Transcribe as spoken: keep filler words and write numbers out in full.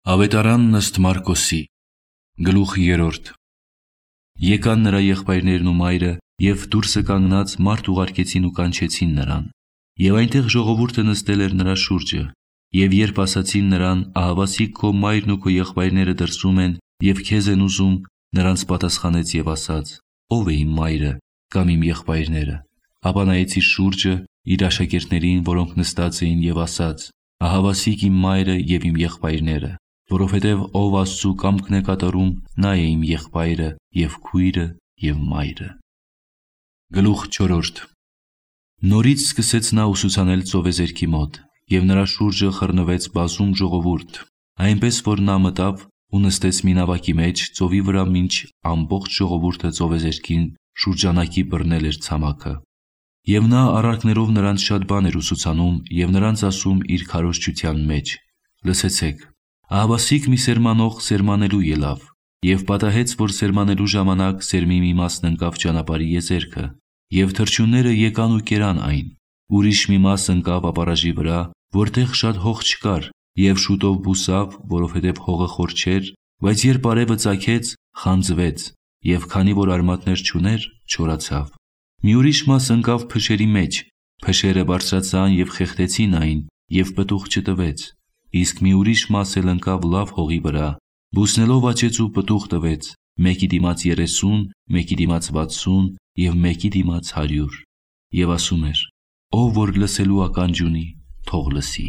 Ավետարանն ըստ Մարկոսի, գլուխ երրորդ։ Եկան նրա եղբայրներն ու մայրը և դուրսը կանգնած մարդ ուղարկեցին ու կանչեցին նրան։ Եվ այնտեղ ժողովուրդը նստել էր նրա շուրջը։ Եվ երբ ասացին նրան, ահավասիկ քո մայրն ու քո եղբայրները դրսում են և քեզ են ուզում, նրանց պատասխանեց և ասաց. Ո՞վ է իմ մայրը կամ իմ եղբայրները։ Ապա նայեց իր շուրջը իր աշակերտներին, որոնք նստած էին, և ասաց. Ահավասիկ իմ մայրը և իմ եղբայրները, որովհետև ով Աստծու կամքն է կատարում, նա է իմ եղբայրը և քույրը և մայրը։ Գլուխ չորրորդ։ Նորից սկսեց նա ուսուցանել ծովեզերքի մոտ, և նրա շուրջը խռնվեց բազում ժողովուրդ, այնպես որ նա մտավ ու նստեց մի նավակի մեջ ծովի վրա, մինչ ամբողջ ժողովուրդը ծովեզերքին շուրջանակի բռնել էր ցամաքը։ Եվ նա առակներով նրանց շատ բան էր ուսուցանում և նրանց ասում իր քարոզչության մեջ. Լսեցեք, ահավասիկ մի սերմանող սերմանելու ելավ, և պատահեց, որ սերմանելու ժամանակ սերմի մի մասն ընկավ ճանապարհի եզերքը, և թռչունները եկան ու կերան այն։ Ուրիշ մի մաս ընկավ ապառաժի վրա, որտեղ շատ հող չկար, և շուտով բուսավ, որովհետև հողը խոր չէր, բայց երբ արևը ծագեց, խանձվեց, և քանի որ արմատներ չուներ, չորացավ։ Մի ուրիշ մաս ընկավ փշերի մեջ, փշերը բարձրացան և խեղդեցին այն, և պտուղ չտվեց։ Իսկ մի ուրիշ մաս էլ ընկավ լավ հողի վրա, բուսնելով աճեց ու պտուղ տվեց, մեկի դիմաց երեսուն, մեկի դիմաց վաթսուն և մեկի դիմաց հարյուր։ Եվ ասում էր. Ով որ լսելու ականջ ունի, թող լսի։